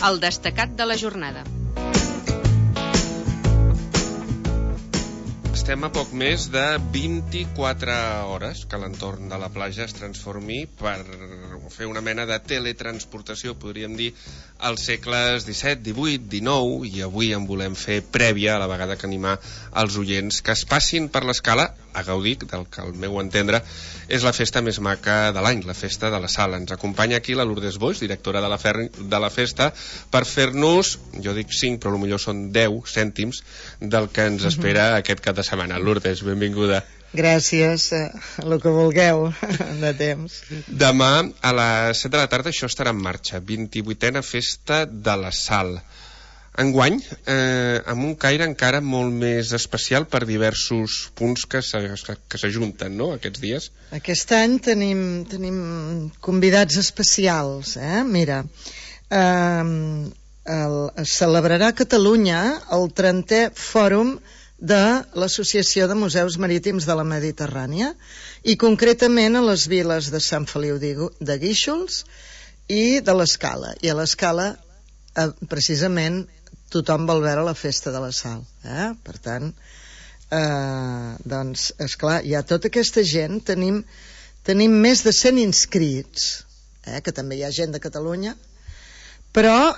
El destacat de la jornada. Estem a poc més de 24 hores que l'entorn de la platja es transformi per fer una mena de teletransportació, podríem dir, als segles XVII, XVIII, XIX, i avui en volem fer prèvia, a la vegada que animar els oients que es passin per l'escala a gaudir del que, al meu entendre, és la festa més maca de l'any, la festa de la Sal. Ens acompanya aquí la Lourdes Boix, directora de la festa, per fer-nos, jo dic 5, però potser són 10 cèntims del que ens espera aquest cap de setmana. Lourdes, benvinguda. Gràcies, el que vulgueu de temps. Demà a les 7 de la tarda això estarà en marxa, 28a Festa de la Sal. Enguany, amb un caire encara molt més especial per diversos punts que s'ajunten, no?, aquests dies. Aquest any tenim convidats especials, Mira, es celebrarà a Catalunya el 30è Fòrum de l'Associació de Museus Marítims de la Mediterrània, i concretament a les viles de Sant Feliu de Guíxols i de l'Escala. I a l'Escala, precisament, tothom vol veure la Festa de la Sal. Per tant, doncs, esclar, hi ha tota aquesta gent, tenim més de 100 inscrits, que també hi ha gent de Catalunya, però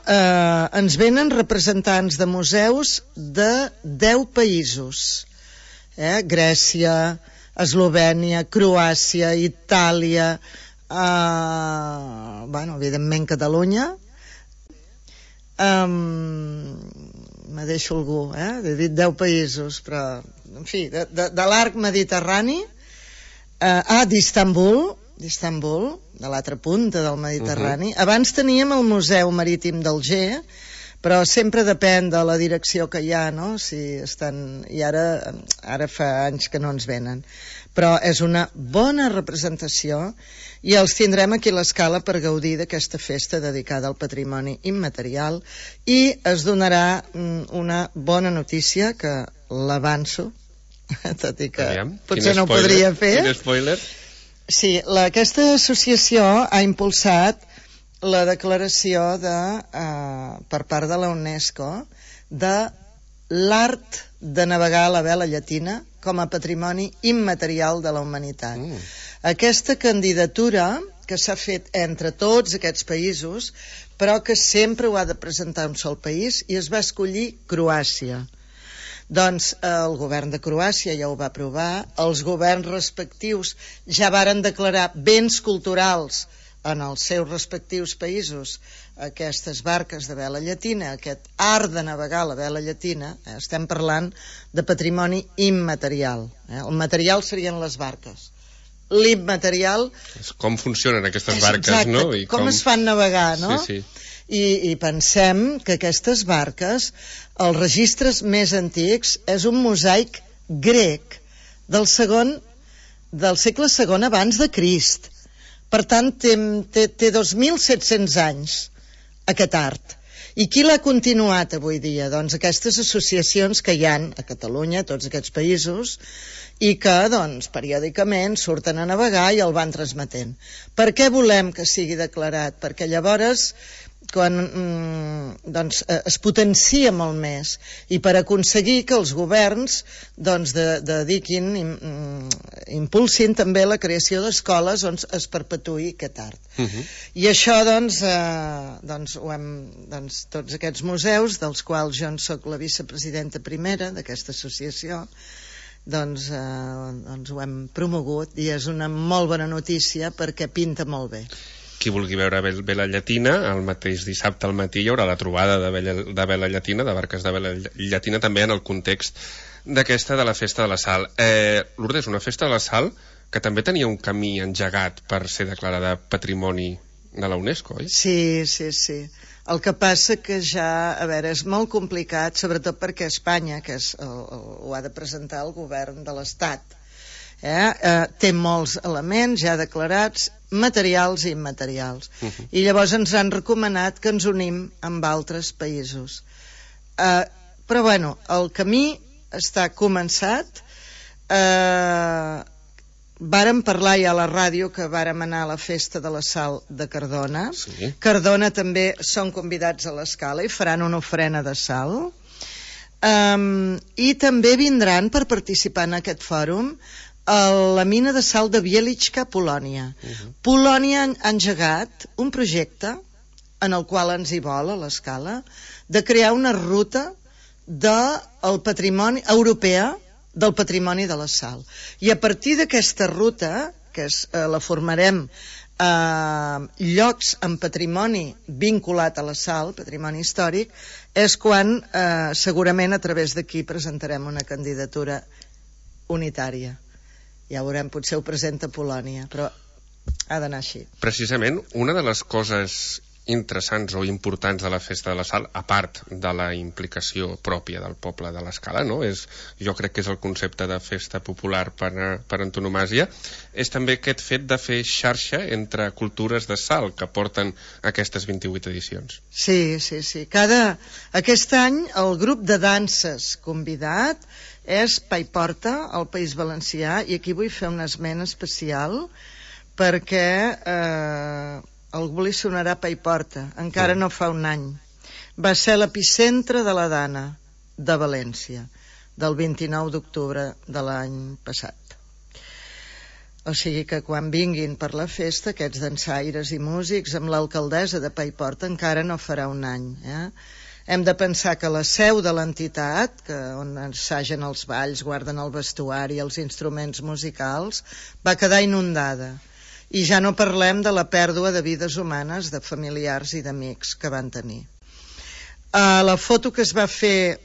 ens venen representants de museus de 10 països, Grècia, Eslovènia, Croàcia, Itàlia, evidentment Catalunya, me deixo algú, he dit 10 països, però en fi, de l'arc mediterrani, d'Istanbul, de l'altra punta del Mediterrani. Abans teníem el Museu Marítim d'Alger, però sempre depèn de la direcció que hi ha, no? Si estan... I ara fa anys que no ens venen. Però és una bona representació i els tindrem aquí a l'Escala per gaudir d'aquesta festa dedicada al patrimoni immaterial, i es donarà una bona notícia que l'avanço, tot i que potser no ho podria fer. Quin spoiler? Sí, aquesta associació ha impulsat la declaració per part de la UNESCO de l'art de navegar a la vela llatina com a patrimoni immaterial de la humanitat. Aquesta candidatura que s'ha fet entre tots aquests països, però que sempre ho ha de presentar un sol país, i es va escollir Croàcia. Doncs el govern de Croàcia ja ho va aprovar, els governs respectius ja varen declarar béns culturals en els seus respectius països aquestes barques de vela llatina, aquest art de navegar a la vela llatina. Estem parlant de patrimoni immaterial. El material serien les barques. L'immaterial... Com funcionen aquestes barques, exacte, no? I com es fan navegar, no? Sí. I pensem que aquestes barques, els registres més antics, és un mosaic grec del segle II abans de Crist. Per tant, té 2.700 anys aquest art. I qui l'ha continuat avui dia? Doncs aquestes associacions que hi ha a Catalunya, a tots aquests països, i que, doncs, periòdicament surten a navegar i el van transmetent. Per què volem que sigui declarat? Perquè llavors quan es potencia molt més, i per aconseguir que els governs dediquin, impulsin també la creació d'escoles on es perpetuï aquest art. I això ho hem, tots aquests museus, dels quals jo en soc la vicepresidenta primera d'aquesta associació, ho hem promogut, i és una molt bona notícia perquè pinta molt bé. Qui vulgui veure vela llatina, el mateix dissabte al matí hi haurà la trobada de vela llatina, de barques de vela llatina, també en el context d'aquesta de la Festa de la Sal. Lourdes, una Festa de la Sal que també tenia un camí engegat per ser declarada Patrimoni de la UNESCO, oi? Sí. El que passa que ja, és molt complicat, sobretot perquè Espanya, que ho ha de presentar el govern de l'Estat, té molts elements ja declarats, materials i immaterials, i llavors ens han recomanat que ens unim amb altres països, però bueno, el camí està començat. vàrem parlar ja a la ràdio que vàrem anar a la festa de la Sal de Cardona. Sí. Cardona també són convidats a l'Escala i faran una ofrena de sal. I també vindran per participar en aquest fòrum a la mina de sal de Wieliczka, Polònia. Polònia ha engegat un projecte en el qual ens hi vol a l'Escala de crear una ruta del patrimoni europea del patrimoni de la sal. I a partir d'aquesta ruta, que la formarem llocs amb patrimoni vinculat a la sal, patrimoni històric, és quan segurament a través d'aquí presentarem una candidatura unitària. Ja veurem, potser ho presenta Polònia, però ha d'anar així. Precisament, una de les coses interessants o importants de la Festa de la Sal, a part de la implicació pròpia del poble de l'Escala, no? Jo crec que és el concepte de festa popular per antonomàsia, és també aquest fet de fer xarxa entre cultures de sal que porten aquestes 28 edicions. Sí. Aquest any el grup de danses convidat és Paiporta, al País Valencià, i aquí vull fer una esment especial perquè algú li sonarà Paiporta, encara no fa un any. Va ser l'epicentre de la Dana de València, del 29 d'octubre de l'any passat. O sigui que quan vinguin per la festa, aquests dansaires i músics, amb l'alcaldessa de Paiporta, encara no farà un any. Hem de pensar que la seu de l'entitat, on ensagen els balls, guarden el vestuari, els instruments musicals, va quedar inundada. I ja no parlem de la pèrdua de vides humanes, de familiars i d'amics que van tenir. La foto que es va fer,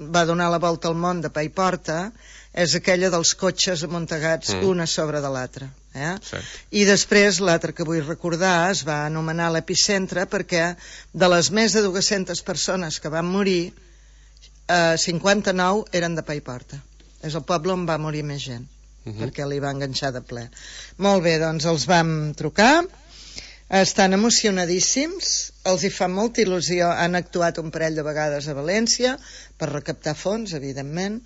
va donar la volta al món de Paiporta, és aquella dels cotxes amuntegats una sobre de l'altra. I després l'altre que vull recordar es va anomenar l'epicentre perquè de les més de 200 persones que van morir, 59 eren de Paiporta. És el poble on va morir més gent, perquè li va enganxar de ple. Molt bé, doncs els vam trucar, estan emocionadíssims, els hi fa molta il·lusió, han actuat un parell de vegades a València per recaptar fons, evidentment,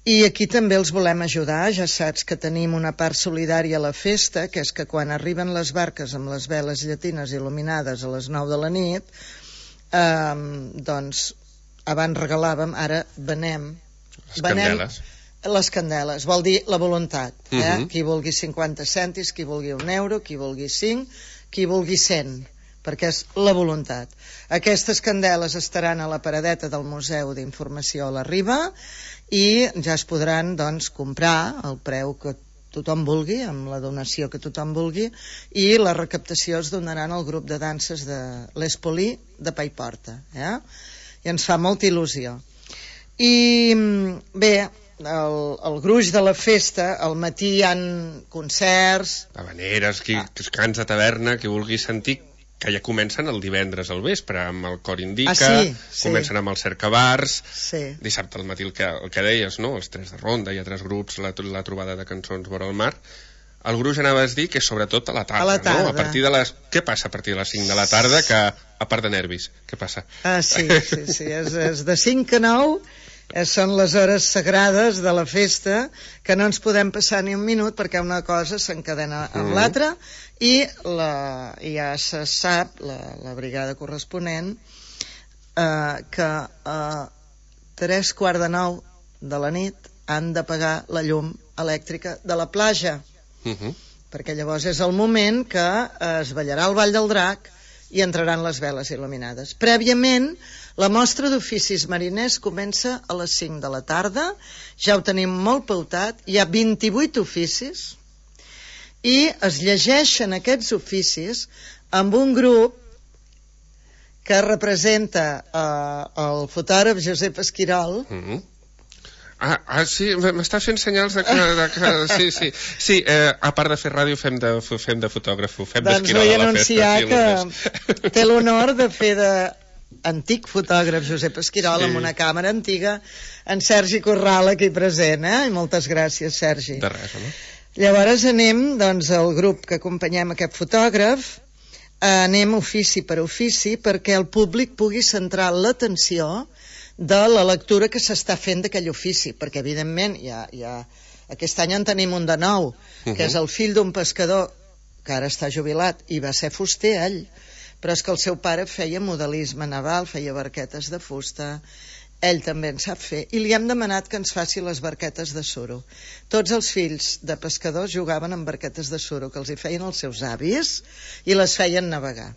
i aquí també els volem ajudar. Ja saps que tenim una part solidària a la festa, que és que quan arriben les barques amb les veles llatines il·luminades a les 9 de la nit, doncs abans regalàvem, ara venem les candeles, vol dir la voluntat. Qui vulgui 50 cèntims, qui vulgui €1, qui vulgui 5, qui vulgui 100, perquè és la voluntat. Aquestes candeles estaran a la paradeta del Museu d'Informació a la Riba i ja es podran doncs comprar al preu que tothom vulgui, amb la donació que tothom vulgui, i la recaptació es donaran al grup de danses de l'Espolí de Paiporta. I ens fa molta il·lusió. I bé, el gruix de la festa, al matí hi ha concerts, habaneres, qui es cansa a taverna, qui vulgui sentir, que ja comencen el divendres al vespre amb el cor indica, comencen amb els cercavars, dissabte al matí el que deies, no? Els 3 de ronda, hi ha 3 grups, la trobada de cançons vora el mar. El gruix anaves a dir que és sobretot a la tarda, no? Què passa a partir de les 5 de la tarda, que a part de nervis, què passa? Sí, és de 5 a 9, són les hores sagrades de la festa, que no ens podem passar ni un minut perquè una cosa s'encadena amb l'altra, i ja se sap, la brigada corresponent, que a 3:45 de la nit han d'apagar la llum elèctrica de la platja, perquè llavors és el moment que es ballarà el Ball del Drac i entraran les veles il·luminades. Prèviament, la mostra d'oficis mariners comença a les 5 de la tarda, ja ho tenim molt pautat, hi ha 28 oficis, i es llegeixen aquests oficis amb un grup que representa el fotògraf Josep Esquirol. Sí, m'està fent senyals de que... Sí, a part de fer ràdio fem de fotògraf, fem d'Esquirol a la festa. Doncs vull anunciar que té l'honor de fer d'antic fotògraf Josep Esquirol amb una càmera antiga, en Sergi Corral aquí present, i moltes gràcies, Sergi. De res, home. Llavors anem, doncs, el grup que acompanyem aquest fotògraf, anem ofici per ofici perquè el públic pugui centrar l'atenció de la lectura que s'està fent d'aquell ofici, perquè evidentment hi ha Aquest any en tenim un de nou, que és el fill d'un pescador que ara està jubilat, i va ser fuster ell, però és que el seu pare feia modelisme naval, feia barquetes de fusta, ell també en sap fer, i li hem demanat que ens faci les barquetes de suro. Tots els fills de pescadors jugaven amb barquetes de suro, que els hi feien els seus avis, i les feien navegar.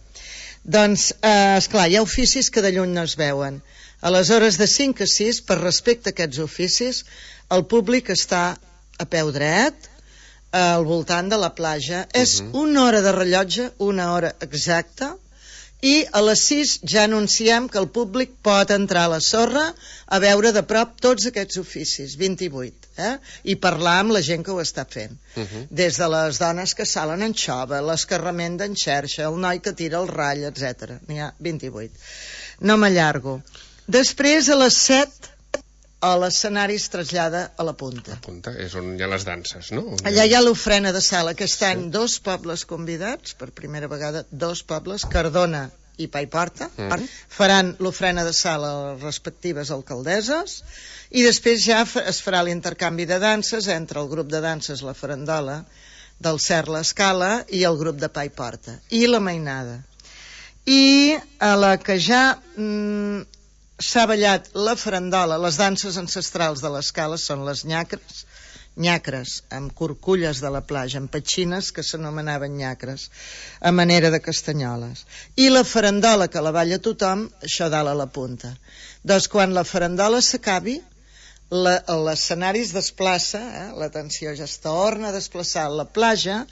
Doncs, esclar, hi ha oficis que de lluny no es veuen. Aleshores, de 5 a 6, per respecte a aquests oficis, el públic està a peu dret, al voltant de la platja. És una hora de rellotge, una hora exacta, i a les 6 ja anunciem que el públic pot entrar a la sorra a veure de prop tots aquests oficis, 28, i parlar amb la gent que ho està fent. Des de les dones que salen en xova, les que remenden xerxa, el noi que tira el ratll, etc. N'hi ha 28. No m'allargo. Després, a les 7, l'escenari es trasllada a la punta. La punta és on hi ha les danses, no? Allà hi ha l'ofrena de sal. Aquest any 2 pobles convidats, per primera vegada 2 pobles, Cardona i Paiporta, faran l'ofrena de sal a les respectives alcaldesses, i després ja es farà l'intercanvi de danses entre el grup de danses La Farandola del Cert l'Escala i el grup de Paiporta, i la mainada. I a la que ja s'ha ballat la farandola, les danses ancestrals de l'Escala són les nyacres, amb curculles de la platja, amb petxines que s'anomenaven nyacres, a manera de castanyoles. I la farandola, que la balla tothom, això dalt a la punta. Doncs quan la farandola s'acabi, l'escenari es desplaça, l'atenció ja es torna a desplaçar a la platja,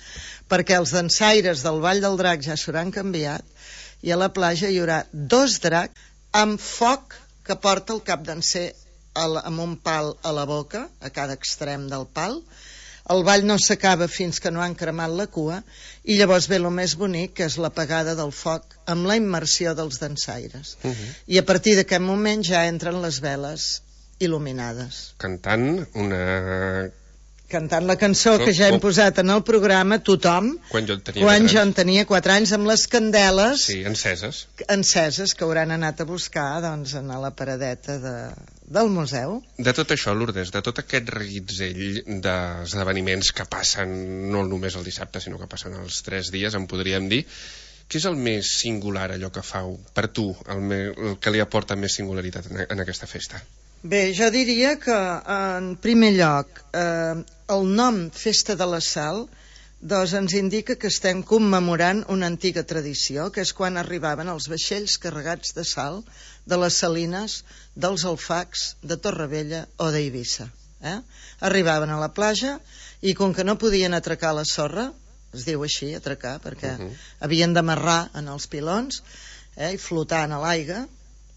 perquè els dansaires del Vall del Drac ja s'hauran canviat, i a la platja hi haurà 2 dracs amb foc que porta el cap danser amb un pal a la boca, a cada extrem del pal. El ball no s'acaba fins que no han cremat la cua, i llavors ve el més bonic, que és l'apagada del foc amb la immersió dels dansaires. I a partir d'aquest moment ja entren les veles il·luminades. Cantant la cançó que ja hem posat en el programa, tothom, quan jo en tenia 4 anys, amb les candeles enceses que hauran anat a buscar doncs, a la paradeta del museu. De tot això, Lourdes, de tot aquest reguitzell d'esdeveniments que passen no només el dissabte, sinó que passen els 3 dies, en podríem dir, què és el més singular, allò que fa per tu, el que li aporta més singularitat en aquesta festa? Bé, jo diria que, en primer lloc, el nom Festa de la Sal doncs ens indica que estem commemorant una antiga tradició, que és quan arribaven els vaixells carregats de sal de les salines dels Alfacs, de Torrevella o d'Eivissa. Arribaven a la platja i com que no podien atracar la sorra, es diu així, atracar, perquè havien d'amarrar en els pilons i flotar a l'aigua,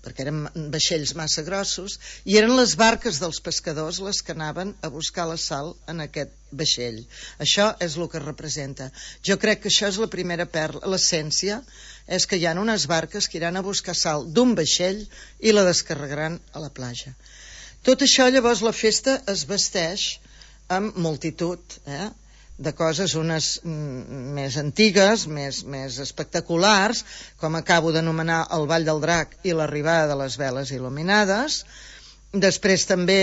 perquè eren vaixells massa grossos, i eren les barques dels pescadors les que anaven a buscar la sal en aquest vaixell. Això és el que representa. Jo crec que això és la primera perla, l'essència és que hi ha unes barques que iran a buscar sal d'un vaixell i la descarregaran a la platja. Tot això, llavors, la festa es vesteix amb multitud, de coses, unes més antigues, més espectaculars, com acabo d'anomenar el Vall del Drac i l'arribada de les veles il·luminades. Després també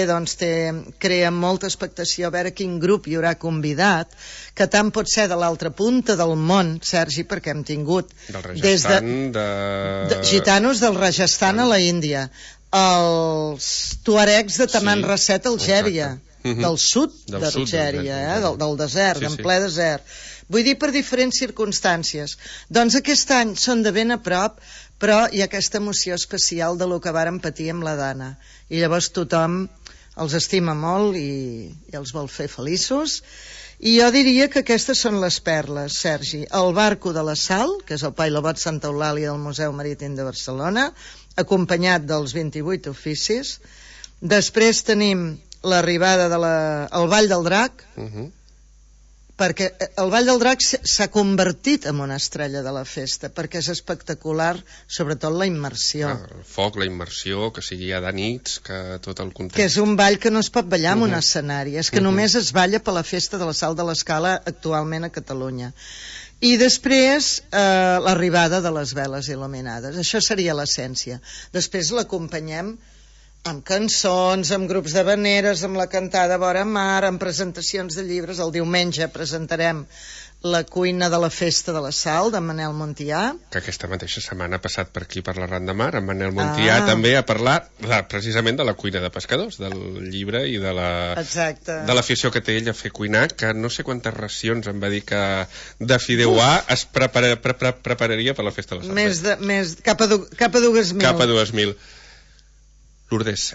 crea molta expectació a veure quin grup hi haurà convidat, que tant pot ser de l'altra punta del món, Sergi, perquè hem tingut des de gitanos del Rajasthan a la Índia, els tuaregs de Taman Rasset a Algèria, del sud d'Algèria, del desert, en ple desert. Vull dir, per diferents circumstàncies. Doncs aquest any són de ben a prop, però hi ha aquesta emoció especial de lo que vàrem patir amb la Dana. I llavors tothom els estima molt i els vol fer feliços. I jo diria que aquestes són les perles, Sergi. El barco de la Sal, que és el Pailobot Santa Eulàlia del Museu Marítim de Barcelona, acompanyat dels 28 oficis. Després tenim l'arribada al Vall del Drac, perquè el Vall del Drac s'ha convertit en una estrella de la festa, perquè és espectacular, sobretot la immersió. El foc, la immersió, que sigui ja de nits, que tot el context... Que és un ball que no es pot ballar en un escenari, és que només es balla per la festa de la Sal de l'Escala actualment a Catalunya. I després l'arribada de les veles il·luminades. Això seria l'essència. Després l'acompanyem Amb cançons, amb grups de veneres, amb la cantada Vora Mar, amb presentacions de llibres. El diumenge presentarem La cuina de la festa de la sal, de Manel Montià. Que aquesta mateixa setmana ha passat per aquí, per la Ran de Mar, amb Manel Montià, també a parlar precisament de la cuina de pescadors, del llibre i de l'afició que té ell a fer cuinar, que no sé quantes racions em va dir que de fideuà es prepararia per la festa de la sal. Cap a 2.000. Cap a 2.000. Lourdes,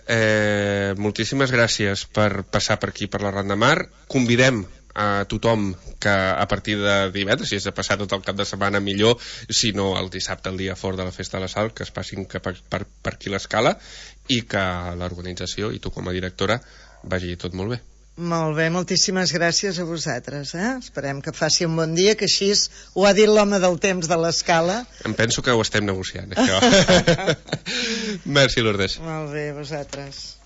moltíssimes gràcies per passar per aquí, per la Ran de Mar. Convidem a tothom que a partir de divendres, si és de passar tot el cap de setmana millor, si no el dissabte, el dia fort de la Festa de la Sal, que es passin per aquí l'Escala i que l'organització i tu com a directora vagi tot molt bé. Molt bé, moltíssimes gràcies a vosaltres. Esperem que faci un bon dia, que així ho ha dit l'home del temps de l'Escala. Em penso que ho estem negociant, això. Merci, Lourdes. Molt bé, vosaltres.